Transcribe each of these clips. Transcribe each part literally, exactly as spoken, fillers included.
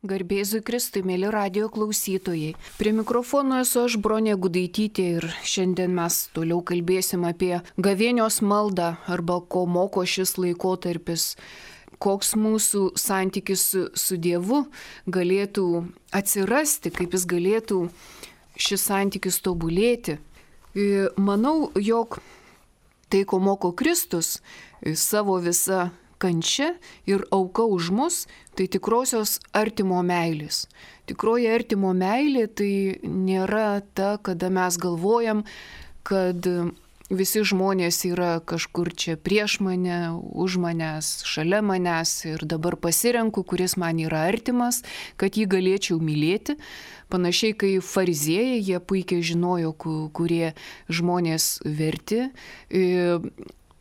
Garbėzui Kristui, mėly radijo klausytojai. Prie mikrofono esu aš, Bronė Gudaitytė, ir šiandien mes toliau kalbėsim apie gavėnios maldą arba ko moko šis laikotarpis, koks mūsų santykis su, su Dievu galėtų atsirasti, kaip jis galėtų šis santykis tobulėti. Manau, jog tai, ko moko Kristus, savo visą kančia ir auka už mus, tai tikrosios artimo meilės. Tikroji artimo meilė tai nėra ta, kada mes galvojam, kad visi žmonės yra kažkur čia prieš mane, už manęs, šalia manęs ir dabar pasirenku, kuris man yra artimas, kad jį galėčiau mylėti. Panašiai, kai fariziejai, jie puikiai žinojo, kurie žmonės verti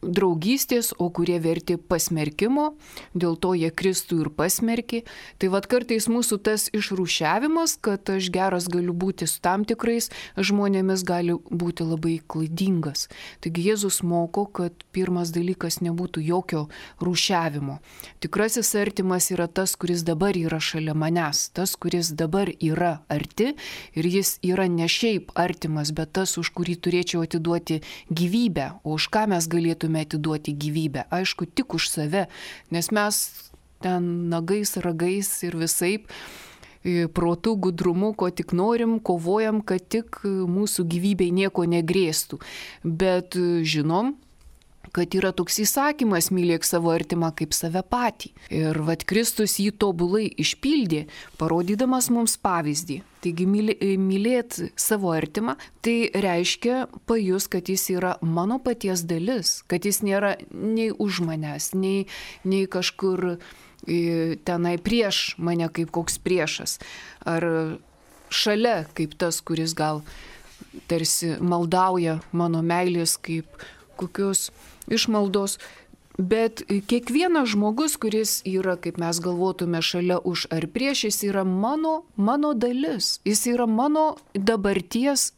draugystės, o kurie verti pasmerkimo, dėl to jie Kristų ir pasmerkė. Tai vad kartais mūsų tas išrūšiavimas, kad aš geras galiu būti su tam tikrais žmonėmis, gali būti labai klaidingas. Taigi Jėzus moko, kad pirmas dalykas nebūtų jokio rūšiavimo. Tikrasis artimas yra tas, kuris dabar yra šalia manęs, tas, kuris dabar yra arti ir jis yra ne šiaip artimas, bet tas, už kurį turėčiau atiduoti gyvybę, o už ką mes galėtume atiduoti gyvybę. Aišku, tik už save, nes mes ten nagais, ragais ir visaip protų, gudrumu, ko tik norim, kovojam, kad tik mūsų gyvybei nieko negrėstų. Bet žinom, kad yra toks įsakymas: mylėk savo artimą kaip save patį. Ir vat Kristus jį tobulai išpildė, parodydamas mums pavyzdį. Taigi mylėt savo artimą, tai reiškia pajus, kad jis yra mano paties dalis, kad jis nėra nei už manęs, nei, nei kažkur tenai prieš mane kaip koks priešas, ar šalia kaip tas, kuris gal tarsi maldauja mano meilės kaip kokios išmaldos, bet kiekvienas žmogus, kuris yra, kaip mes galvotume, šalia už ar prieš, jis yra mano, mano dalis, jis yra mano dabarties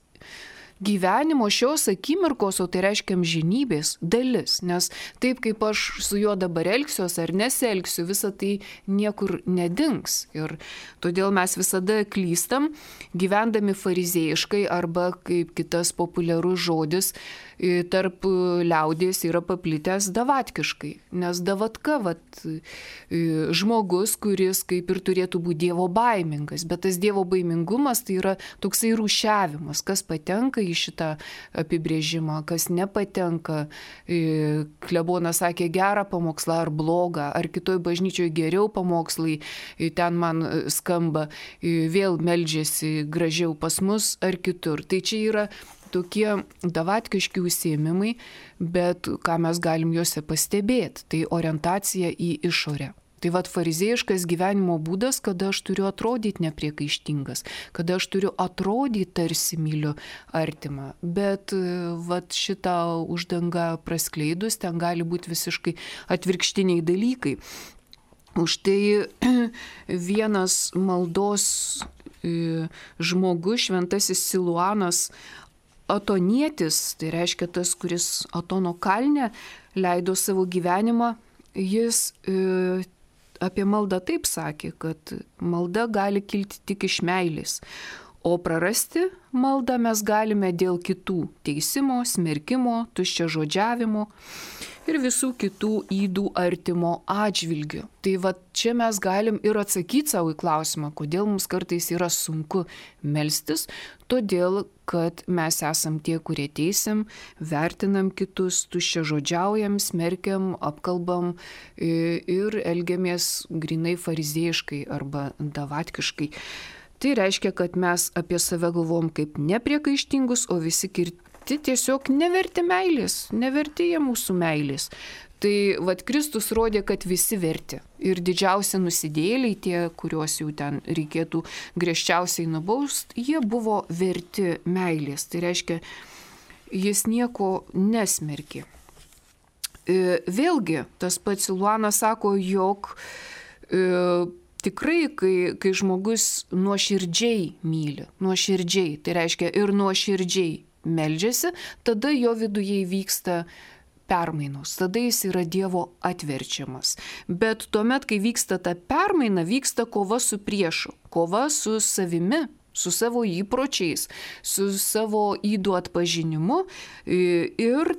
gyvenimo, šios akimirkos, o tai reiškia amžinybės dalis, nes taip kaip aš su juo dabar elgsiuos ar nesielgsiu, visa tai niekur nedings. Ir todėl mes visada klystam, gyvendami farizėjiškai, arba kaip kitas populiarus žodis tarp liaudies yra paplitęs davatkiškai. Nes davatka, vat, žmogus, kuris kaip ir turėtų būti dievo baimingas, bet tas dievo baimingumas tai yra toksai rūšiavimas, kas patenka į šitą apibrėžimą, kas nepatenka. Klebonas sakė gerą pamokslą ar blogą, ar kitoj bažnyčioje geriau pamokslai, ten man skamba, vėl meldžiasi gražiau pas mus ar kitur. Tai čia yra tokie davatkiški užsiėmimai, bet ką mes galim juose pastebėti, tai orientacija į išorę. Tai vat farizėjiškas gyvenimo būdas, kada aš turiu atrodyti nepriekaištingas, kada aš turiu atrodyti tarsi myliu artimą, bet vat šitą uždangą praskleidus, ten gali būti visiškai atvirkštiniai dalykai. Už tai vienas maldos žmogus, šventasis Siluanas Atonietis, tai reiškia tas, kuris Atono kalne leido savo gyvenimą, jis e, apie maldą taip sakė, kad malda gali kilti tik iš meilės, o prarasti maldą mes galime dėl kitų teisimo, smerkimo, tuščiažodžiavimo ir visų kitų ydų artimo atžvilgių. Tai va čia mes galim ir atsakyti savo į klausimą, kodėl mums kartais yra sunku melstis, todėl, kad mes esam tie, kurie teisim, vertinam kitus, tuščiažodžiaujam, smerkiam, apkalbam ir elgiamės grinai farizėjiškai arba davatkiškai. Tai reiškia, kad mes apie save galvom kaip nepriekaištingus, o visi kiti tiesiog neverti meilės, neverti jie mūsų meilės. Tai vat Kristus rodė, kad visi verti. Ir didžiausi nusidėjėliai, tie, kuriuos jau ten reikėtų griežčiausiai nubausti, jie buvo verti meilės. Tai reiškia, jis nieko nesmerkė. Vėlgi, tas pats Siluanas sako, jog e, tikrai, kai, kai žmogus nuoširdžiai myli, nuoširdžiai, tai reiškia ir nuoširdžiai meldžiasi, tada jo viduje vyksta permainos, tada jis yra Dievo atverčiamas. Bet tuomet, kai vyksta ta permaina, vyksta kova su priešu, kova su savimi, su savo įpročiais, su savo ydų atpažinimu ir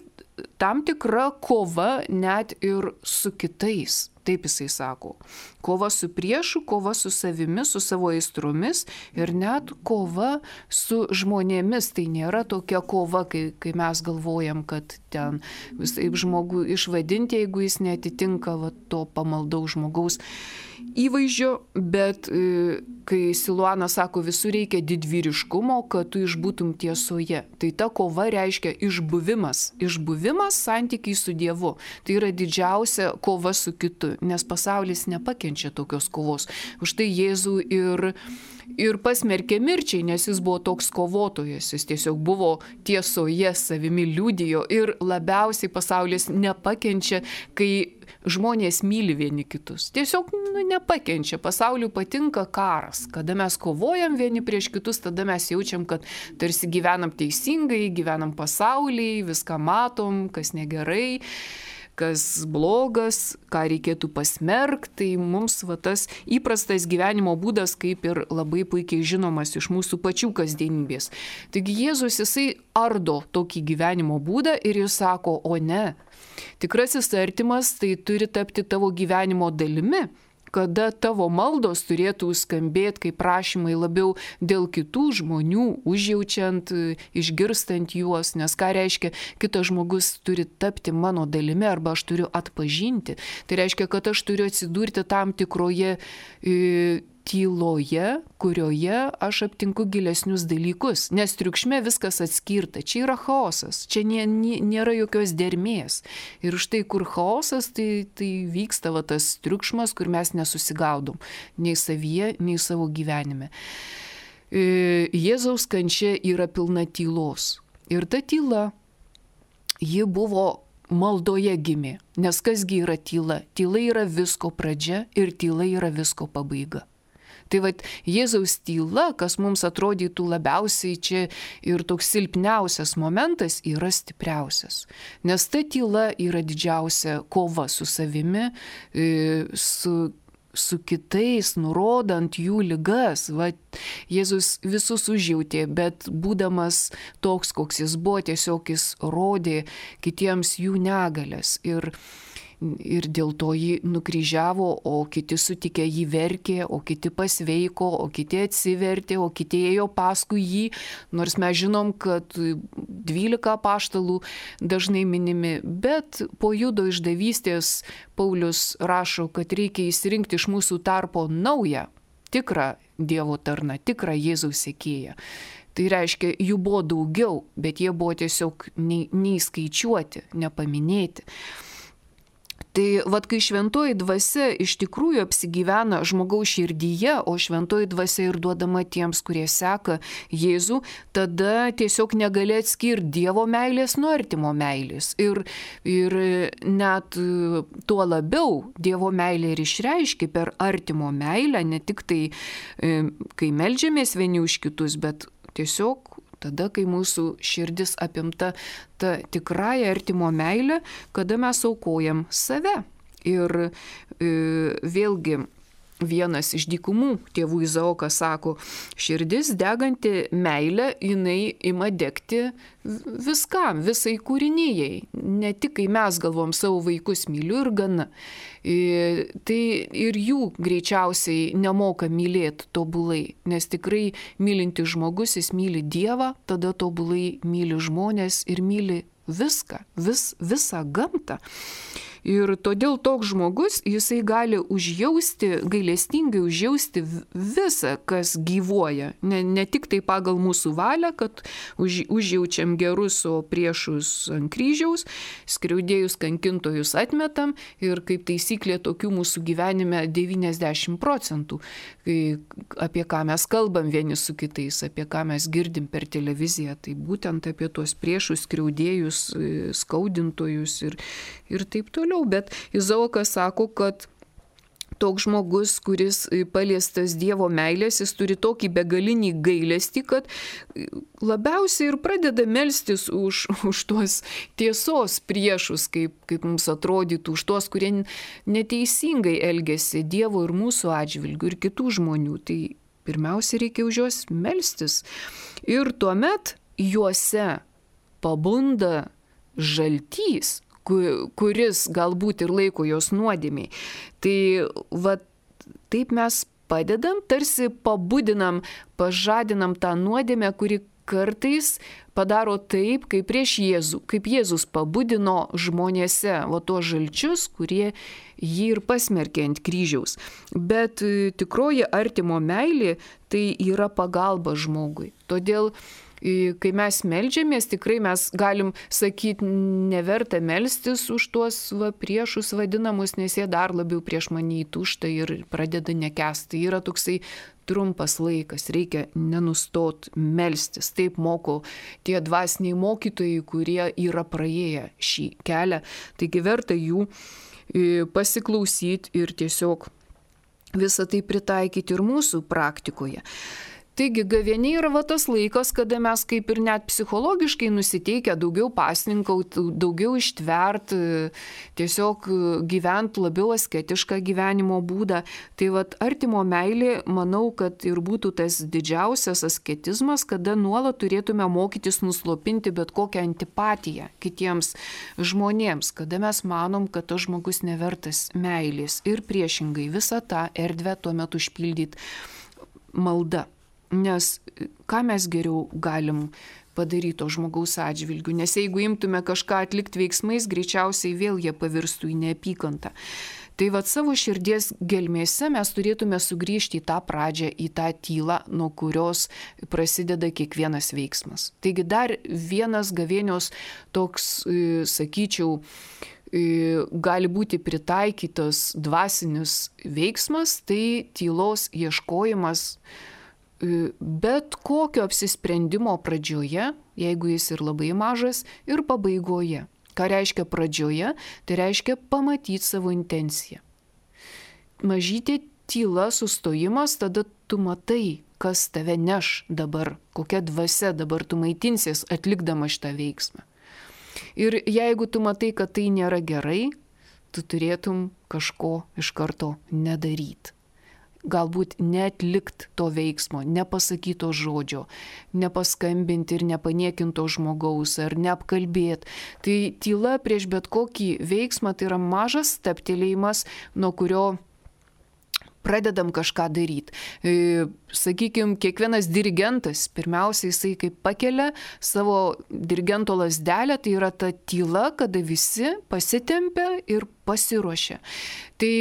tam tikra kova net ir su kitais. Taip jisai sako. Kova su priešu, kova su savimi, su savo aistromis ir net kova su žmonėmis. Tai nėra tokia kova, kai, kai mes galvojam, kad ten visai žmogų išvadinti, jeigu jis netitinka va, to pamaldaus žmogaus įvaizdžio, bet e, kai Siluanas sako, visur reikia didvyriškumo, kad tu išbūtum tiesoje. Tai ta kova reiškia išbuvimas. Išbuvimas santykiai su Dievu. Tai yra didžiausia kova su kitu, nes pasaulis nepakenčia tokios kovos. Už tai Jėzų ir, ir pasmerkė mirčiai, nes jis buvo toks kovotojas. Jis tiesiog buvo tiesoje, savimi liudijo ir labiausiai pasaulis nepakenčia, kai žmonės myli vieni kitus. Tiesiog nu, nepakenčia. Pasauliui patinka karas. Kada mes kovojam vieni prieš kitus, tada mes jaučiam, kad tarsi gyvenam teisingai, gyvenam pasaulyje, viską matom, kas negerai, kas blogas, ką reikėtų pasmerkti. Tai mums va, tas įprastas gyvenimo būdas kaip ir labai puikiai žinomas iš mūsų pačių kasdienybės. Taigi Jėzus jisai ardo tokį gyvenimo būdą ir jis sako, o ne. Tikrasis artimas tai turi tapti tavo gyvenimo dalimi, kada tavo maldos turėtų skambėti kaip prašymai labiau dėl kitų žmonių, užjaučiant, išgirstant juos, nes ką reiškia, kitas žmogus turi tapti mano dalimi arba aš turiu atpažinti. Tai reiškia, kad aš turiu atsidurti tam tikroje e, tyloje, kurioje aš aptinku gilesnius dalykus, nes triukšme viskas atskirta, čia yra chaosas, čia nė, nė, nėra jokios dermės. Ir štai kur chaosas, tai, tai vyksta va, tas triukšmas, kur mes nesusigaudom, nei savyje, nei savo gyvenime. Jėzaus kančia yra pilna tylos. Ir ta tyla, ji buvo maldoje gimė, nes kasgi yra tyla? Tyla yra visko pradžia ir tyla yra visko pabaiga. Tai va, Jėzaus tyla, kas mums atrodytų labiausiai čia ir toks silpniausias momentas, yra stipriausias. Nes ta tyla yra didžiausia kova su savimi, su, su kitais, nurodant jų ligas. Va, Jėzus visus užjautė, bet būdamas toks, koks jis buvo, tiesiog jis rodė kitiems jų negalės. Ir Ir dėl to jį nukryžiavo, o kiti sutikę jį verkė, o kiti pasveiko, o kiti atsivertė, o kiti ėjo paskui jį. Nors mes žinom, kad dvylika apaštalų dažnai minimi, bet po Judo išdavystės Paulius rašo, kad reikia išsirinkti iš mūsų tarpo naują, tikrą Dievo tarną, tikrą Jėzaus sekėją. Tai reiškia, jų buvo daugiau, bet jie buvo tiesiog neįskaičiuoti, nepaminėti. Tai vad, kai šventoji dvasia iš tikrųjų apsigyvena žmogaus širdyje, o šventoji dvasia ir duodama tiems, kurie seka Jėzų, tada tiesiog negali atskirti Dievo meilės nuo artimo meilės. Ir, ir net tuo labiau Dievo meilė ir išreiškia per artimo meilę, ne tik tai, kai meldžiamės vieni už kitus, bet tiesiog tada, kai mūsų širdis apimta ta tikrąja artimo meilė, kada mes aukojam save. Ir e, vėlgi vienas iš dykumų tėvų Izaokas sako, širdis deganti meilė, jinai ima degti viskam, visai kūrinijai. Ne tik kai mes galvom savo vaikus myliu ir gana. E, tai ir jų greičiausiai nemoka mylėti tobulai, nes tikrai mylintis žmogus, jis myli Dievą, tada tobulai myli žmonės ir myli viską, vis, visą gamtą. Ir todėl toks žmogus, jisai gali užjausti, gailestingai užjausti visą, kas gyvuoja. Ne, ne tik tai pagal mūsų valią, kad už, užjaučiam gerus, o priešus ant kryžiaus, skriaudėjus, kankintojus atmetam ir kaip taisyklė tokių mūsų gyvenime devyniasdešimt procentų. Apie ką mes kalbam vieni su kitais, apie ką mes girdim per televiziją, tai būtent apie tuos priešus, skriaudėjus, skaudintojus ir, ir taip toliau. Bet Izaokas sako, kad toks žmogus, kuris paliestas Dievo meilės, jis turi tokį begalinį gailestį, kad labiausiai ir pradeda melstis už, už tuos tiesos priešus, kaip, kaip mums atrodytų, už tuos, kurie neteisingai elgesi Dievo ir mūsų atžvilgių ir kitų žmonių. Tai pirmiausia, reikia už juos melstis. Ir tuomet juose pabunda žaltys, kuris galbūt ir laiko jos nuodėmiai. Tai va, taip mes padedam, tarsi pabudinam, pažadinam tą nuodėmę, kuri kartais padaro taip, kaip prieš Jėzų, kaip Jėzus pabudino žmonėse, o tuos žalčius, kurie jį ir pasmerkė ant kryžiaus. Bet tikroji artimo meilė tai yra pagalba žmogui. Todėl kai mes meldžiamės, tikrai mes galim sakyti, neverta melstis už tuos va, priešus vadinamus, nes jie dar labiau prieš mane įtūžta ir pradeda nekęsti. Tai yra toksai trumpas laikas, reikia nenustot melstis. Taip moko tie dvasiniai mokytojai, kurie yra praėję šį kelią. Taigi verta jų pasiklausyti ir tiesiog visą tai pritaikyti ir mūsų praktikoje. Taigi gavėnia yra va tas laikas, kada mes kaip ir net psichologiškai nusiteikę daugiau pasninkauti, daugiau ištverti, tiesiog gyventi labiau asketišką gyvenimo būdą. Tai va artimo meilė, manau, kad ir būtų tas didžiausias asketizmas, kada nuolat turėtume mokytis nuslopinti bet kokią antipatiją kitiems žmonėms, kada mes manom, kad tas žmogus nevertas meilės ir priešingai visą tą erdvę tuomet užpildyti malda. Nes ką mes geriau galim padaryti to žmogaus atžvilgių, nes jeigu imtume kažką atlikti veiksmais, greičiausiai vėl jie pavirstų į neapykantą. Tai vat savo širdies gelmėse mes turėtume sugrįžti į tą pradžią, į tą tylą, nuo kurios prasideda kiekvienas veiksmas. Taigi dar vienas gavėnios toks, sakyčiau, gali būti pritaikytas dvasinis veiksmas, tai tylos ieškojimas bet kokio apsisprendimo pradžioje, jeigu jis ir labai mažas, ir pabaigoje. Ką reiškia pradžioje? Tai reiškia pamatyti savo intenciją. Mažytė tyla, sustojimas, tada tu matai, kas tave neš dabar, kokia dvasia dabar tu maitinsies atlikdama šitą veiksmą. Ir jeigu tu matai, kad tai nėra gerai, tu turėtum kažko iš karto nedaryti. Galbūt neatlikt to veiksmo, nepasakyto žodžio, nepaskambinti ir nepaniekinto žmogaus ar neapkalbėti. Tai tyla prieš bet kokį veiksmą tai yra mažas stabtelėjimas, nuo kurio pradedam kažką daryti. E, sakykime, kiekvienas dirigentas, pirmiausia, jisai kaip pakelia savo dirigento lazdelę, tai yra ta tyla, kada visi pasitempia ir pasiruošia. Tai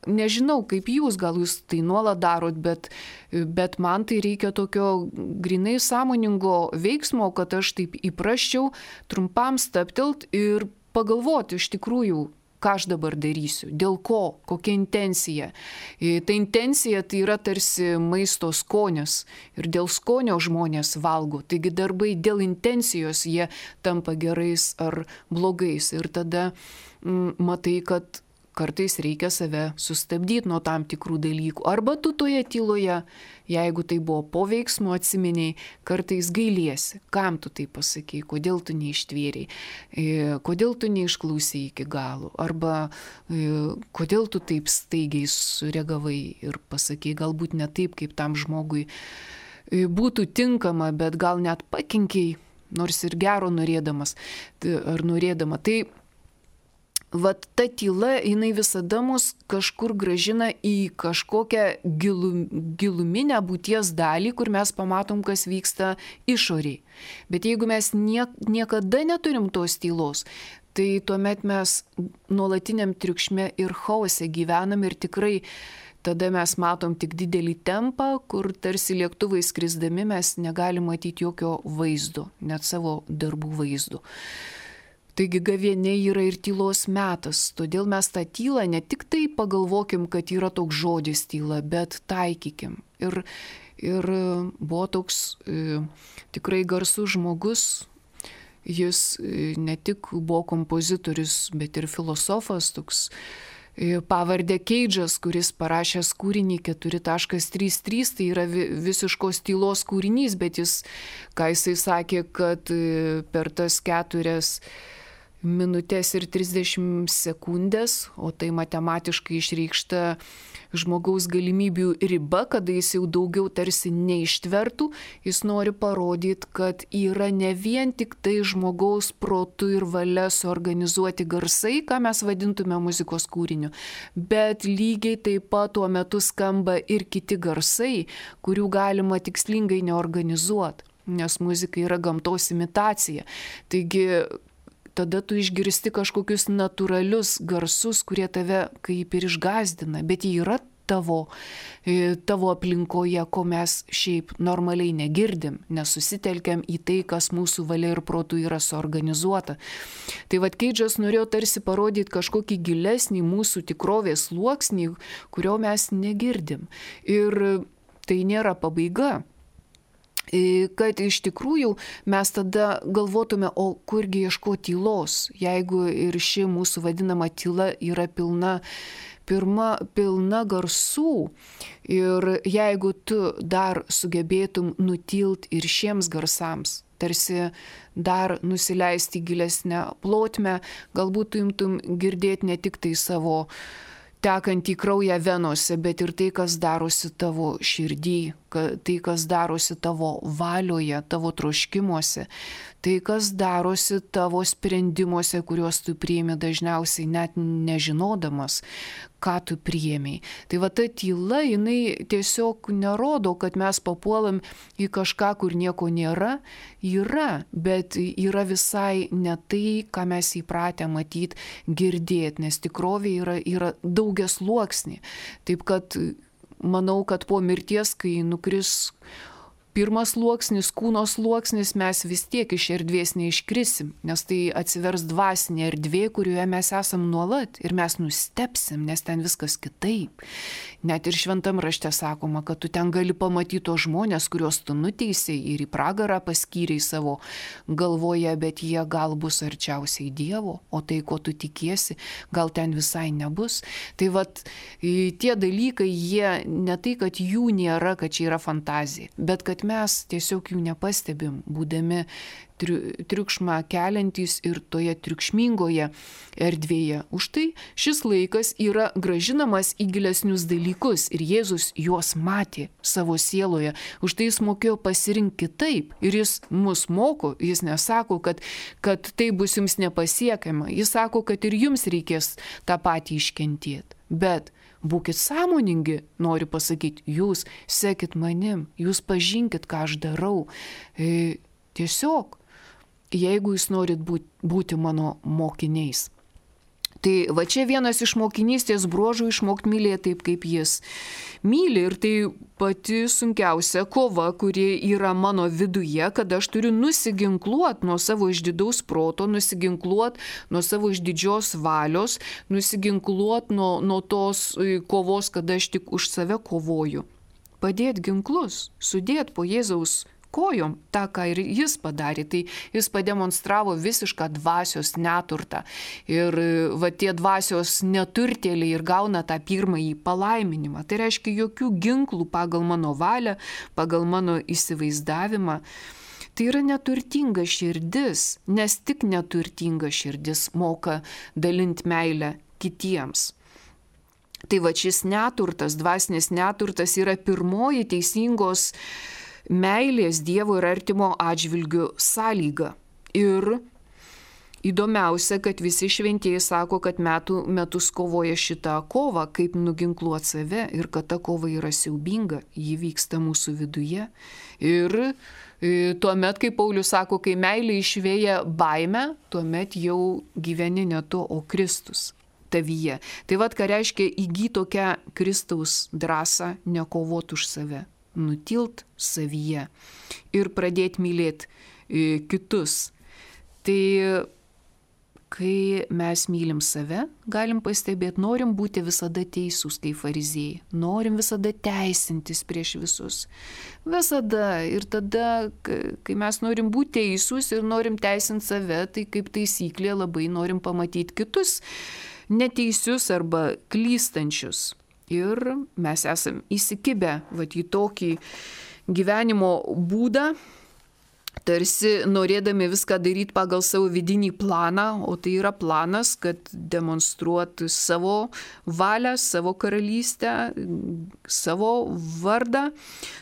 nežinau, kaip jūs, gal jūs tai nuolat darot, bet, bet man tai reikia tokio grinai sąmoningo veiksmo, kad aš taip įprasčiau trumpam stabtelt ir pagalvoti iš tikrųjų, ką aš dabar darysiu, dėl ko, kokia intencija. Ta intencija tai yra tarsi maisto skonis ir dėl skonio žmonės valgo, taigi darbai dėl intencijos jie tampa gerais ar blogais ir tada mm, matai, kad kartais reikia save sustabdyti nuo tam tikrų dalykų. Arba tu toje tyloje, jeigu tai buvo po veiksmo atsiminiai, kartais gailiesi. Kam tu tai pasakei, kodėl tu neištvėriai, kodėl tu neišklausai iki galo. Arba kodėl tu taip staigiai sureagavai ir pasakei galbūt ne taip, kaip tam žmogui būtų tinkama, bet gal net pakenkiai, nors ir gero norėdamas ar norėdama. Tai vat ta tyla, jinai visada mus kažkur gražina į kažkokią gilu, giluminę būties dalį, kur mes pamatom, kas vyksta išoriai. Bet jeigu mes nie, niekada neturim tos tylos, tai tuomet mes nuolatiniam triukšme ir chaose gyvenam ir tikrai tada mes matom tik didelį tempą, kur tarsi lėktuvai skrisdami mes negalim matyti jokio vaizdo, net savo darbų vaizdo. Taigi gavėnia yra ir tylos metas, todėl mes tą tylą ne tik tai pagalvokim, kad yra toks žodis tyla, bet taikykim. Ir, ir buvo toks e, tikrai garsus žmogus, jis e, ne tik buvo kompozitorius, bet ir filosofas, toks pavardę Keidžas, kuris parašęs kūrinį keturi taškas trys trys, tai yra visiškos tylos kūrinys, bet jis, ką jisai sakė, kad per tas keturias minutės ir trisdešimt sekundės, o tai matematiškai išreikšta žmogaus galimybių riba, kada jis jau daugiau tarsi neištvertų, jis nori parodyti, kad yra ne vien tik tai žmogaus protu ir valia suorganizuoti garsai, ką mes vadintume muzikos kūriniu, bet lygiai taip pat tuo metu skamba ir kiti garsai, kurių galima tikslingai neorganizuoti, nes muzika yra gamtos imitacija. Taigi tada tu išgirsti kažkokius natūralius garsus, kurie tave kaip ir išgąsdina, bet jie yra tavo, tavo aplinkoje, ko mes šiaip normaliai negirdim, nesusitelkiam į tai, kas mūsų valia ir protų yra suorganizuota. Tai vad Keidžas norėjo tarsi parodyti kažkokį gilesnį mūsų tikrovės sluoksnį, kurio mes negirdim. Ir tai nėra pabaiga. Kad iš tikrųjų mes tada galvotume, o kurgi ieškoti tylos, jeigu ir ši mūsų vadinama tyla yra pilna, pirma, pilna garsų, ir jeigu tu dar sugebėtum nutilt ir šiems garsams, tarsi dar nusileisti gilesnę plotmę, galbūt tu imtum girdėti ne tik tai savo tekantį kraują venose, bet ir tai, kas darosi tavo širdį, tai, kas darosi tavo valioje, tavo troškimuose, tai, kas darosi tavo sprendimuose, kuriuos tu priimi dažniausiai net nežinodamas, ką tu priėmei. Tai va ta tyla, jinai tiesiog nerodo, kad mes papuolam į kažką, kur nieko nėra, yra, bet yra visai ne tai, ką mes įpratę matyti, girdėti, nes tikrovė yra, yra daugiasluoksnė. Taip kad manau, kad po mirties, kai nukris pirmas sluoksnis, kūno sluoksnis, mes vis tiek iš erdvės neiškrisim, nes tai atsivers dvasinė erdvė, kurioje mes esam nuolat ir mes nustepsim, nes ten viskas kitaip. Net ir šventam rašte sakoma, kad tu ten gali pamatyti tos žmonės, kuriuos tu nuteisei ir į pragarą paskyrei savo galvoje, bet jie gal bus arčiausiai Dievo, o tai, ko tu tikiesi, gal ten visai nebus. Tai vat tie dalykai, jie ne tai, kad jų nėra, kad čia yra fantazija, bet kad mes tiesiog jų nepastebim, būdami triukšmą keliantys ir toje triukšmingoje erdvėje. Už tai šis laikas yra gražinamas į gilesnius dalykus ir Jėzus juos matė savo sieloje. Už tai jis mokėjo pasirinkti kitaip ir jis mus moko, jis nesako, kad, kad tai bus jums nepasiekiama, jis sako, kad ir jums reikės tą patį iškentėti. Bet būkit sąmoningi, noriu pasakyti, jūs sekit manim, jūs pažinkit, ką aš darau. E, tiesiog, jeigu jūs norit būti, būti mano mokiniais. Tai va čia vienas iš mokinystės bruožų išmokti mylėti taip, kaip jis myli. Ir tai pati sunkiausia kova, kuri yra mano viduje, kad aš turiu nusiginkluoti nuo savo išdidaus proto, nusiginkluoti nuo savo išdidžios valios, nusiginkluoti nuo, nuo tos kovos, kada aš tik už save kovoju. Padėti ginklus, sudėti po Jėzaus kojom tą, ką ir jis padarė, tai jis pademonstravo visišką dvasios neturtą. Ir va tie dvasios neturtėliai ir gauna tą pirmąjį palaiminimą. Tai reiškia jokių ginklų pagal mano valią, pagal mano įsivaizdavimą. Tai yra neturtinga širdis, nes tik neturtinga širdis moka dalinti meilę kitiems. Tai va šis neturtas, dvasinis neturtas yra pirmoji teisingos meilės Dievo ir artimo atžvilgių sąlyga. Ir įdomiausia, kad visi šventieji sako, kad metų metus kovoja šitą kovą, kaip nuginkluoti save ir kad ta kova yra siaubinga, ji vyksta mūsų viduje. Ir tuomet, kai Paulius sako, kai meilė išvėja baimę, tuomet jau gyveni ne tu, o Kristus tavyje. Tai vad, ką reiškia įgyti tokią Kristaus drąsą, nekovoti už save, nutilt savyje ir pradėti mylėti kitus. Tai kai mes mylim save, galim pastebėti, norim būti visada teisūs kaip fariziejai, norim visada teisintis prieš visus. Visada. Ir tada, kai mes norim būti teisūs ir norim teisinti save, tai kaip taisyklė labai norim pamatyti kitus neteisius arba klystančius. Ir mes esam įsikibę vat, į tokį gyvenimo būdą, tarsi norėdami viską daryti pagal savo vidinį planą, o tai yra planas, kad demonstruotų savo valią, savo karalystę, savo vardą,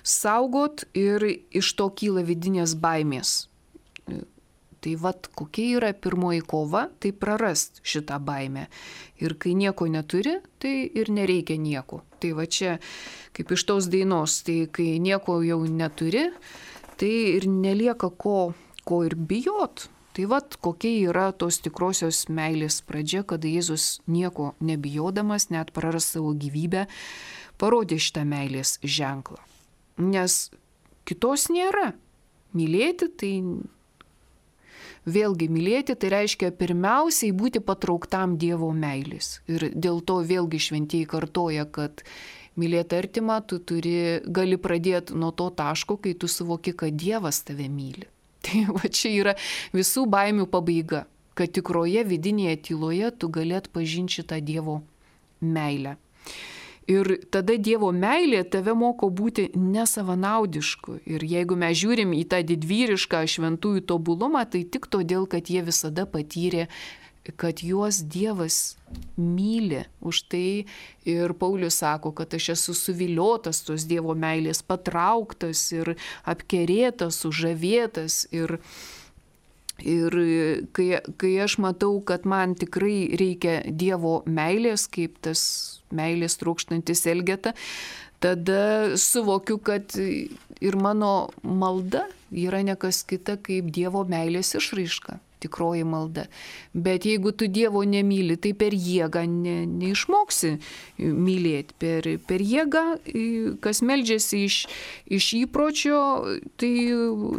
saugot ir iš to kyla vidinės baimės. Tai vat kokia yra pirmoji kova, tai prarast šitą baimę. Ir kai nieko neturi, tai ir nereikia nieko. Tai va čia, kaip iš tos dainos, tai kai nieko jau neturi, tai ir nelieka ko, ko ir bijot. Tai vat kokia yra tos tikrosios meilės pradžia, kada Jėzus nieko nebijodamas, net praras savo gyvybę, parodė šitą meilės ženklą. Nes kitos nėra. Mylėti tai... Vėlgi mylėti tai reiškia pirmiausiai būti patrauktam Dievo meilės. Ir dėl to vėlgi šventieji kartoja, kad mylėti artimą tu turi, gali pradėti nuo to taško, kai tu suvoki, kad Dievas tave myli. Tai va čia yra visų baimių pabaiga, kad tikroje vidinėje tyloje tu galėt pažinti šitą Dievo meilę. Ir tada Dievo meilė tave moko būti nesavanaudišku. Ir jeigu mes žiūrim į tą didvyrišką šventųjų tobulumą, tai tik todėl, kad jie visada patyrė, kad juos Dievas myli. Už tai ir Paulius sako, kad aš esu suviliotas tos Dievo meilės, patrauktas ir apkerėtas, sužavėtas. Ir Ir kai, kai aš matau, kad man tikrai reikia Dievo meilės, kaip tas meilės trokštantis Elgeta, tada suvokiu, kad ir mano malda yra nekas kita kaip Dievo meilės išraiška, tikroji malda. Bet jeigu tu Dievo nemyli, tai per jėgą ne, neišmoksi mylėti. Per, per jėgą, kas meldžiasi iš, iš įpročio, tai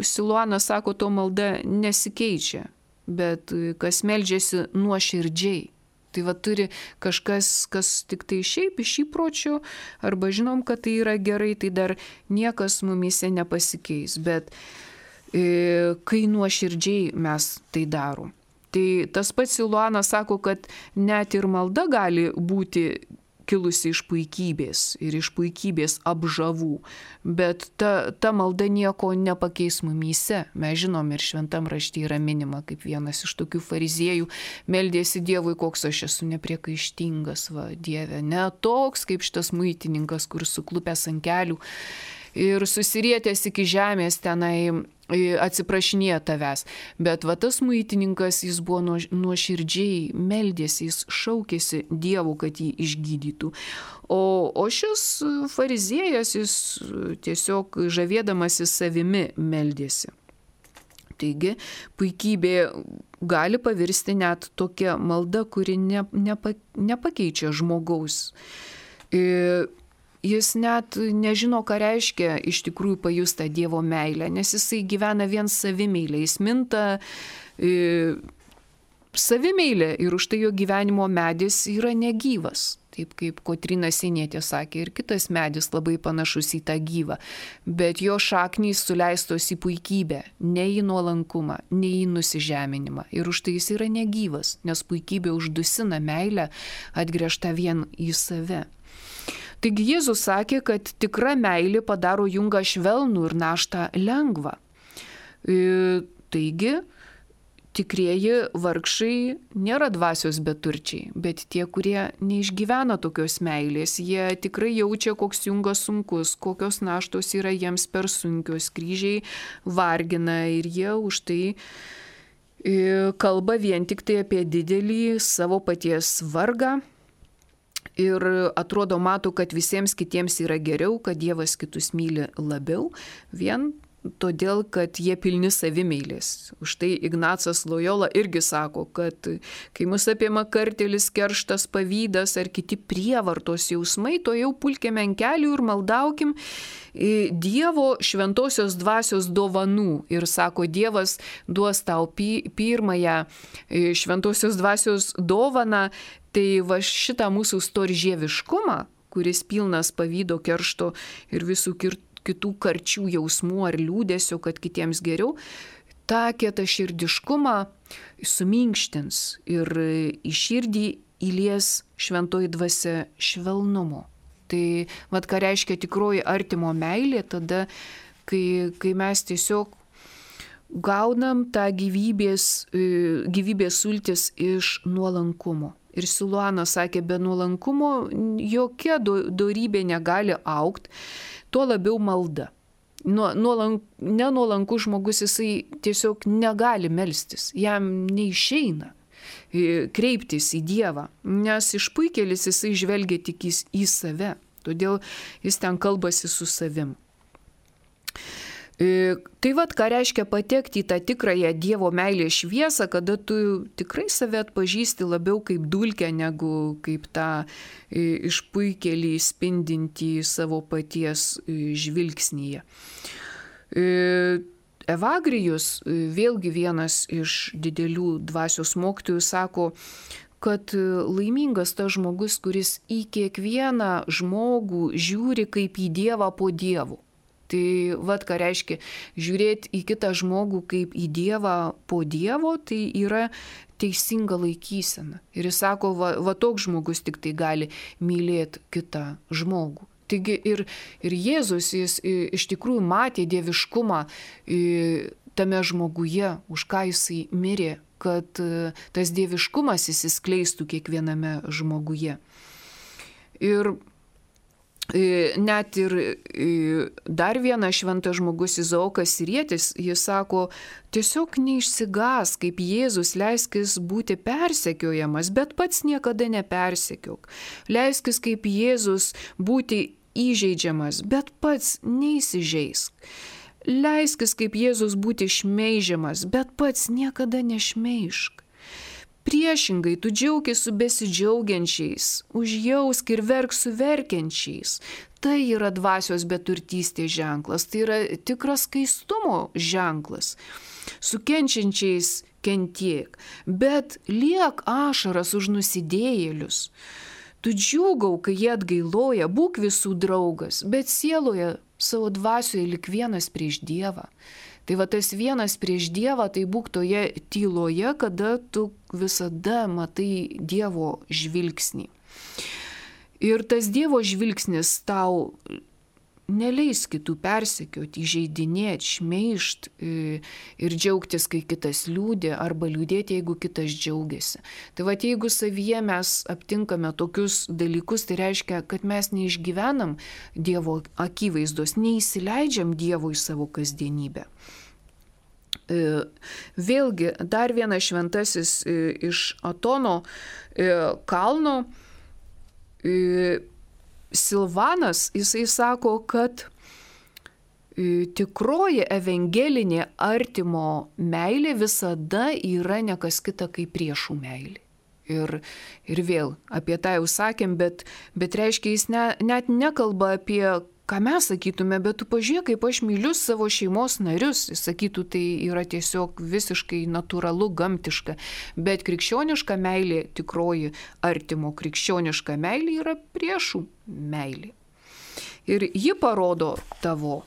Siluanas sako, to malda nesikeičia. Bet kas meldžiasi nuoširdžiai. Tai va turi kažkas, kas tik tai šiaip iš įpročio, arba žinom, kad tai yra gerai, tai dar niekas mumise nepasikeis. Bet kai nuoširdžiai mes tai darom. Tai tas pats Siluanas sako, kad net ir malda gali būti kilusi iš puikybės ir iš puikybės apžavų, bet ta, ta malda nieko nepakeis mumyse. Mes žinom ir šventam rašte yra minima, kaip vienas iš tokių fariziejų meldėsi Dievui, koks aš esu nepriekaištingas, va, Dieve, ne toks kaip šitas muitininkas, kur suklupęs ant kelių ir susirietęs iki žemės tenai atsiprašinėja tavęs. Bet va tas muitininkas, jis buvo nuoširdžiai meldėsi, jis šaukėsi Dievu, kad jį išgydytų. O, o šis fariziėjas, jis tiesiog žavėdamasis savimi meldėsi. Taigi, puikybė gali pavirsti net tokia malda, kuri ne, nepa, nepakeičia žmogaus. Ir jis net nežino, ką reiškia iš tikrųjų pajusta Dievo meilę, nes jisai gyvena vien savimeilę, jis minta e, savimeilę ir už tai jo gyvenimo medis yra negyvas. Taip kaip Kotryna Sienietė sakė, ir kitas medis labai panašus į tą gyvą, bet jo šaknys suleistos į puikybę, ne į nuolankumą, ne į nusižeminimą. Ir už tai jis yra negyvas, nes puikybė uždusina meilę atgręžtą vien į save. Taigi Jėzus sakė, kad tikra meilė padaro jungą švelnų ir naštą lengvą. E, taigi, tikrieji vargšai nėra dvasios beturčiai, bet tie, kurie neišgyvena tokios meilės, jie tikrai jaučia, koks jungas sunkus, kokios naštos yra jiems per sunkios, kryžiai vargina ir jie už tai e, kalba vien tik tai apie didelį savo paties vargą. Ir atrodo, mato, kad visiems kitiems yra geriau, kad Dievas kitus myli labiau, vien todėl, kad jie pilni savimeilės. Už tai Ignacas Lojola irgi sako, kad kai mus apima kartėlis, kerštas, pavydas ar kiti prievartos jausmai, to jau pulkime ant kelių ir maldaukim Dievo šventosios dvasios dovanų. Ir sako, Dievas duos tau pirmąją šventosios dvasios dovaną. Tai va šitą mūsų storžieviškumą, kuris pilnas pavydo, keršto ir visų kitų karčių jausmų ar liūdėsio, kad kitiems geriau, tą kietą širdiškumą suminkštins ir į širdį įlies šventoji dvasia švelnumo. Tai vat ką reiškia tikroji artimo meilė, tada, kai, kai mes tiesiog gaunam tą gyvybės, gyvybės sultis iš nuolankumo. Ir Siluanas sakė, be nuolankumo jokia dorybė negali augti, tuo labiau malda. Nuolank, nenuolankus žmogus, jisai tiesiog negali melstis, jam neišeina kreiptis į Dievą, nes išpuikėlis jisai žvelgia tik į, į save, todėl jis ten kalbasi su savim. Tai vad, ką reiškia patekti į tą tikrąją Dievo meilės šviesą, kada tu tikrai save atpažįsti labiau kaip dulkę, negu kaip tą išpuikėlį spindintį savo paties žvilgsnyje. Evagrijus, vėlgi vienas iš didelių dvasios mokytojų, sako, kad laimingas tas žmogus, kuris į kiekvieną žmogų žiūri kaip į Dievą po Dievu. Tai vad, ką reiškia žiūrėti į kitą žmogų kaip į Dievą po Dievo, tai yra teisinga laikysena. Ir jis sako, va, va toks žmogus tik tai gali mylėti kitą žmogų. Taigi ir, ir Jėzus, jis iš tikrųjų matė dieviškumą tame žmoguje, už ką jisai mirė, kad tas dieviškumas įsiskleistų kiekviename žmoguje. Ir net ir dar vienas šventas žmogus Izaokas Sirietis, jis sako, tiesiog neišsigas, kaip Jėzus, leiskis būti persekiojamas, bet pats niekada nepersekiok. Leiskis kaip Jėzus būti įžeidžiamas, bet pats neįsižeisk. Leiskis kaip Jėzus būti šmeižiamas, bet pats niekada nešmeižk. Priešingai, tu džiaukis su besidžiaugiančiais, užjausk ir verk su verkiančiais. Tai yra dvasios beturtystės ženklas, tai yra tikras skaistumo ženklas. Su kenčiančiais kentiek, bet liek ašaras už nusidėjėlius. Tu džiūgau, kai jie atgailoja, būk visų draugas, bet sieloje savo dvasioje lik vienas prieš Dievą. Tai va tas vienas prieš Dievą, tai būk toje tyloje, kada tu visada matai Dievo žvilgsnį. Ir tas Dievo žvilgsnis tau neleis kitų persekioti, įžeidinėti, šmeižt ir džiaugtis, kai kitas liūdė, arba liūdėti, jeigu kitas džiaugiasi. Tai va, jeigu savyje mes aptinkame tokius dalykus, tai reiškia, kad mes neišgyvenam Dievo akivaizdos, neįsileidžiam Dievo į savo kasdienybę. Vėlgi, dar vienas šventasis iš Atono kalno, Silvanas, jisai sako, kad tikroji evangelinė artimo meilė visada yra ne kas kita kaip priešų meilė. Ir, ir vėl apie tą jau sakėm, bet, bet reiškia, jis ne, net nekalba apie, ką mes sakytume, bet tu pažiūrėk, kaip aš myliu savo šeimos narius. Jis sakytų, tai yra tiesiog visiškai natūralu, gamtiška. Bet krikščioniška meilė, tikroji artimo krikščioniška meilė yra priešų meilė. Ir ji parodo tavo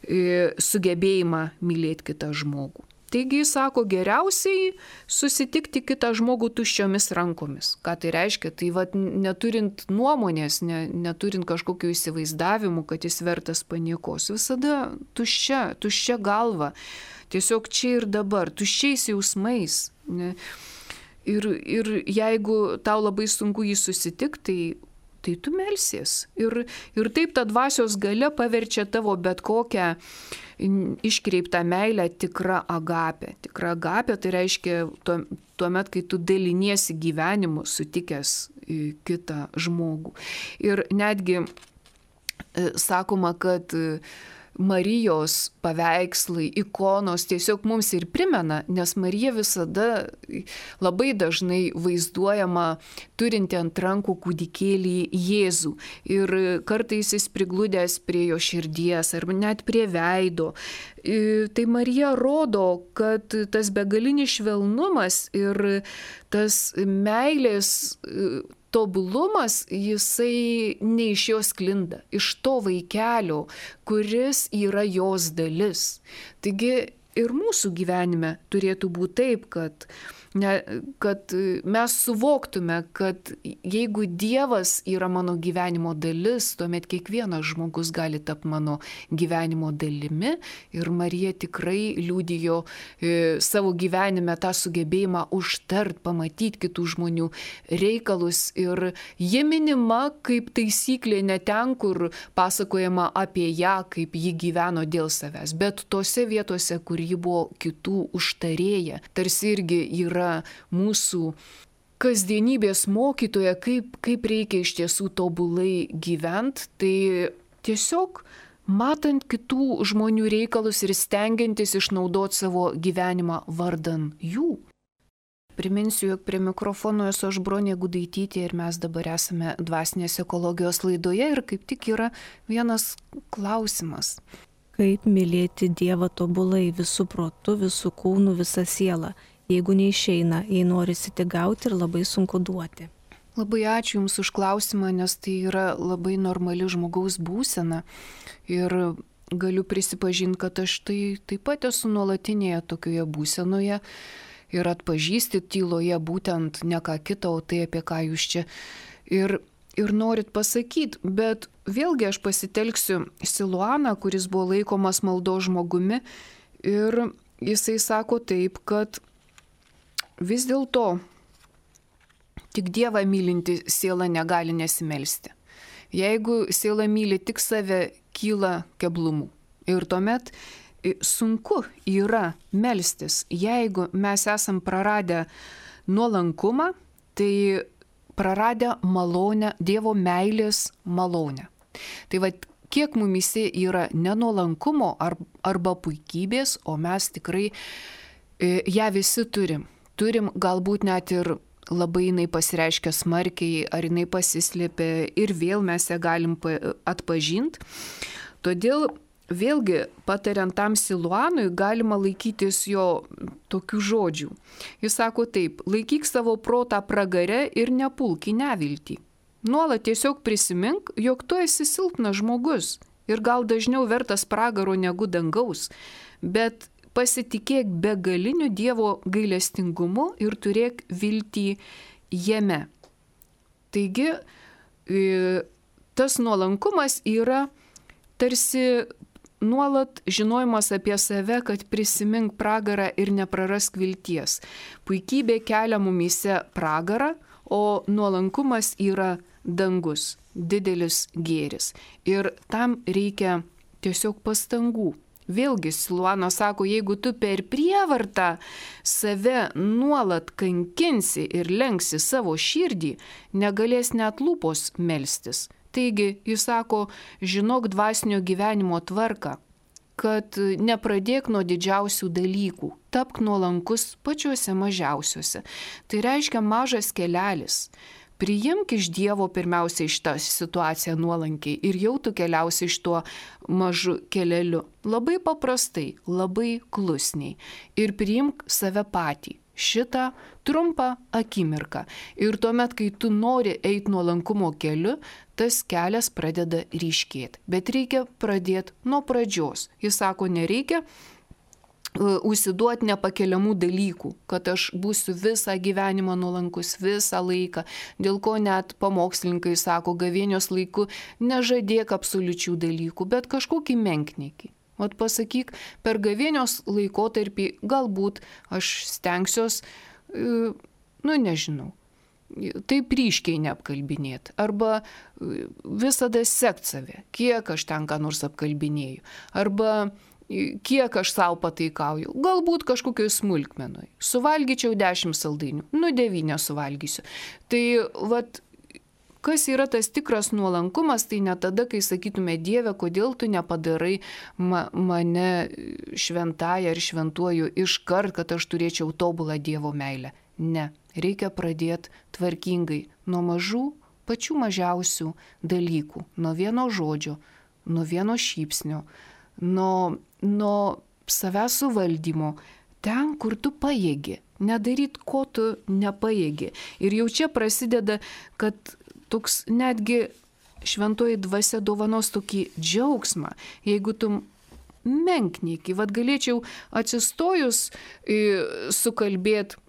e, sugebėjimą mylėti kitą žmogų. Taigi jis sako, geriausiai susitikti kitą žmogų tuščiomis rankomis. Ką tai reiškia? Tai vat, neturint nuomonės, ne, neturint kažkokių įsivaizdavimų, kad jis vertas paniekos. Visada tuščia, tuščia galva. Tiesiog čia ir dabar, tuščiais jausmais. Ne? Ir, ir jeigu tau labai sunku jį susitikti, tai tai tu melsies. Ir, ir taip ta dvasios galia paverčia tavo bet kokią iškreiptą meilę tikrą agapę. Tikra agapė tai reiškia tuo, tuomet, kai tu daliniesi gyvenimu sutikęs kitą žmogų. Ir netgi sakoma, kad Marijos paveikslai, ikonos tiesiog mums ir primena, nes Marija visada labai dažnai vaizduojama turinti ant rankų kūdikėlį Jėzų. Ir kartais jis prigludęs prie jo širdies ar net prie veido. Tai Marija rodo, kad tas begalinis švelnumas ir tas meilės tobulumas, jisai ne iš jos sklinda, iš to vaikelio, kuris yra jos dalis. Taigi ir mūsų gyvenime turėtų būti taip, kad Ne, kad mes suvoktume, kad jeigu Dievas yra mano gyvenimo dalis, tuomet kiekvienas žmogus gali tapti mano gyvenimo dalimi. Ir Marija tikrai liudijo e, savo gyvenime tą sugebėjimą užtart, pamatyti kitų žmonių reikalus. Ir ji minima kaip taisyklė ne ten, kur pasakojama apie ją, kaip ji gyveno dėl savęs, bet tose vietose, kur ji buvo kitų užtarėja. Tarsi irgi yra mūsų kasdienybės mokytoja, kaip, kaip reikia iš tiesų tobulai gyventi, tai tiesiog matant kitų žmonių reikalus ir stengiantis išnaudoti savo gyvenimą vardan jų. Priminsiu, jog prie mikrofono esu aš Bronė Gudaitytė ir mes dabar esame dvasinės ekologijos laidoje ir kaip tik yra vienas klausimas. Kaip mylėti Dievą tobulai visų protų, visų kūnų, visą sielą? Jeigu neišeina, jei norisi tik gauti ir labai sunku duoti. Labai ačiū Jums už klausimą, nes tai yra labai normali žmogaus būsena. Ir galiu prisipažinti, kad aš tai taip pat esu nuolatinėje tokioje būsenoje ir atpažįsti tyloje būtent ne ką kitą, o tai apie ką Jūs čia ir, ir norit pasakyti. Bet vėlgi aš pasitelksiu Siluaną, kuris buvo laikomas maldos žmogumi. Ir jisai sako taip, kad vis dėlto tik Dievą mylinti siela negali nesimelsti. Jeigu siela myli tik save, kyla keblumų. Ir tuomet sunku yra melstis. Jeigu mes esam praradę nuolankumą, tai praradę malonę, Dievo meilės malonę. Tai va, kiek mumise yra nenuolankumo arba puikybės, o mes tikrai ją visi turim. Turim galbūt net ir labai jinai pasireiškia smarkiai, ar jinai pasislėpia ir vėl mes ją galim atpažinti. Todėl vėlgi patariant tam Siluanui galima laikytis jo tokių žodžių. Jis sako taip: laikyk savo protą pragare ir nepulk į neviltį. Nuolat tiesiog prisimink, jog tu esi silpnas žmogus ir gal dažniau vertas pragaro negu dangaus, bet pasitikėk begaliniu Dievo gailestingumu ir turėk viltį jame. Taigi, tas nuolankumas yra tarsi nuolat žinojimas apie save, kad prisimink pragarą ir neprarask vilties. Puikybė kelia mumyse pragarą, o nuolankumas yra dangus, didelis gėris. Ir tam reikia tiesiog pastangų. Vėlgi Siluanas sako, jeigu tu per prievartą save nuolat kankinsi ir lenksi savo širdį, negalės net lūpos melstis. Taigi, jis sako, žinok dvasinio gyvenimo tvarką, kad nepradėk nuo didžiausių dalykų, tapk nuolankus pačiuose mažiausiuose. Tai reiškia mažas kelelis. Priimk iš Dievo pirmiausia šitą situaciją nuolankiai ir jau tu keliausi iš tuo mažu keleliu. Labai paprastai, labai klusniai. Ir priimk save patį. Šitą trumpą akimirką. Ir tuomet, kai tu nori eiti nuolankumo keliu, tas kelias pradeda ryškėti. Bet reikia pradėti nuo pradžios. Jis sako, nereikia užsiduoti nepakeliamų dalykų, kad aš būsiu visą gyvenimą nuolankus, visą laiką, dėl ko net pamokslininkai sako, gavėnios laiku nežadėk absoliučių dalykų, bet kažkokį menkniekį. Vat pasakyk, per gavėnios laikotarpį galbūt aš stengsiuos, nu nežinau, taip ryškiai neapkalbinėti, arba visada sekt save, kiek aš ten ką nors apkalbinėju, arba kiek aš savo pataikauju, galbūt kažkokioj smulkmenoj. Suvalgyčiau dešimt saldainių, nu devynę suvalgysiu. Tai vat, kas yra tas tikras nuolankumas, tai ne tada, kai sakytume, Dieve, kodėl tu nepadarai ma mane šventąją ar šventuoju iškart, kad aš turėčiau tobulą Dievo meilę. Ne, reikia pradėti tvarkingai nuo mažų, pačių mažiausių dalykų, nuo vieno žodžio, nuo vieno šypsnio, nuo, nuo savęs suvaldymo, ten, kur tu pajėgi, nedaryt, ko tu nepajėgi. Ir jau čia prasideda, kad toks netgi šventoji dvasia dovanos tokį džiaugsmą, jeigu tu menkniekį. Vat galėčiau atsistojus sukalbėti,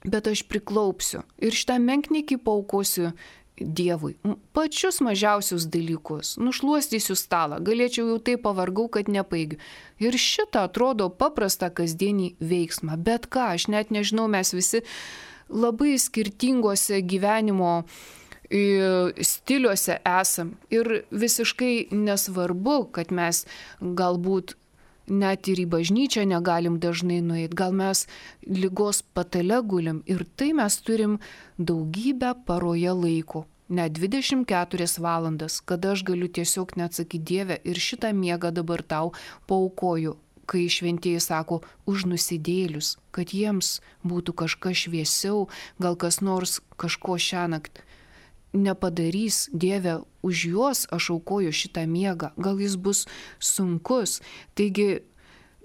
bet aš priklaupsiu ir šitą menkniekį paukosiu Dievui. Pačius mažiausius dalykus. Nušluostysiu stalą. Galėčiau jau taip pavargau, kad nepaigiu. Ir šitą atrodo paprastą kasdienį veiksmą. Bet ką, aš net nežinau, mes visi labai skirtingose gyvenimo stiliuose esam. Ir visiškai nesvarbu, kad mes galbūt net ir į bažnyčią negalim dažnai nueiti. Gal mes ligos patale gulim ir tai mes turim daugybę paroje laiko. Net dvidešimt keturias valandas, kada aš galiu tiesiog neatsakyti Dieve ir šitą miegą dabar tau paaukoju, kai šventieji sako už nusidėlius, kad jiems būtų kažkas šviesiau, gal kas nors kažko šiąnakt nepadarys. Dieve, už juos aš aukoju šitą miegą, gal jis bus sunkus. Taigi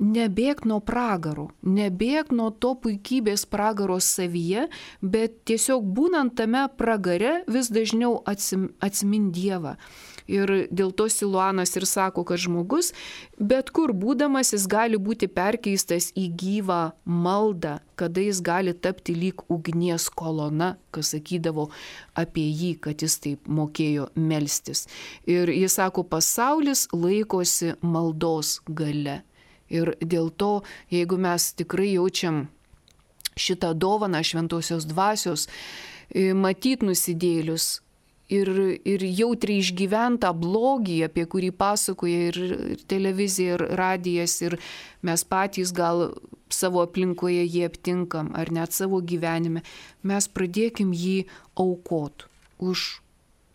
nebėk nuo pragaro, nebėk nuo to puikybės pragaro savyje, bet tiesiog būnant tame pragare vis dažniau atsim, atsimin Dievą. Ir dėl to Siluanas ir sako, kad žmogus, bet kur būdamas, jis gali būti perkeistas į gyvą maldą, kada jis gali tapti lyg ugnies kolona, kas sakydavo apie jį, kad jis taip mokėjo melstis. Ir jis sako, pasaulis laikosi maldos gale. Ir dėl to, jeigu mes tikrai jaučiam šitą dovaną šventosios dvasios, matyt nusidėlius, Ir, ir jautriai išgyventą blogį, apie kurį pasakoja ir, ir televizija, ir radijas, ir mes patys gal savo aplinkoje jį aptinkam, ar net savo gyvenime, mes pradėkim jį aukot už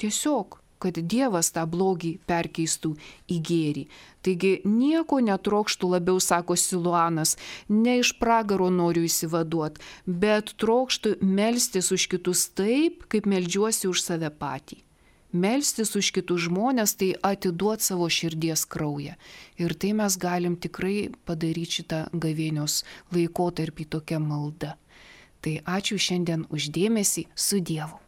tiesiog, kad Dievas tą blogį perkeistų į gėrį. Taigi nieko netrokštų labiau, sako Siluanas, ne iš pragaro noriu įsivaduoti, bet trokštų melstis už kitus taip, kaip meldžiuosi už save patį. Melstis už kitus žmonės, tai atiduoti savo širdies kraują. Ir tai mes galim tikrai padaryti šitą gavėnios laikotarpį tokią maldą. Tai ačiū šiandien už dėmesį, su Dievu.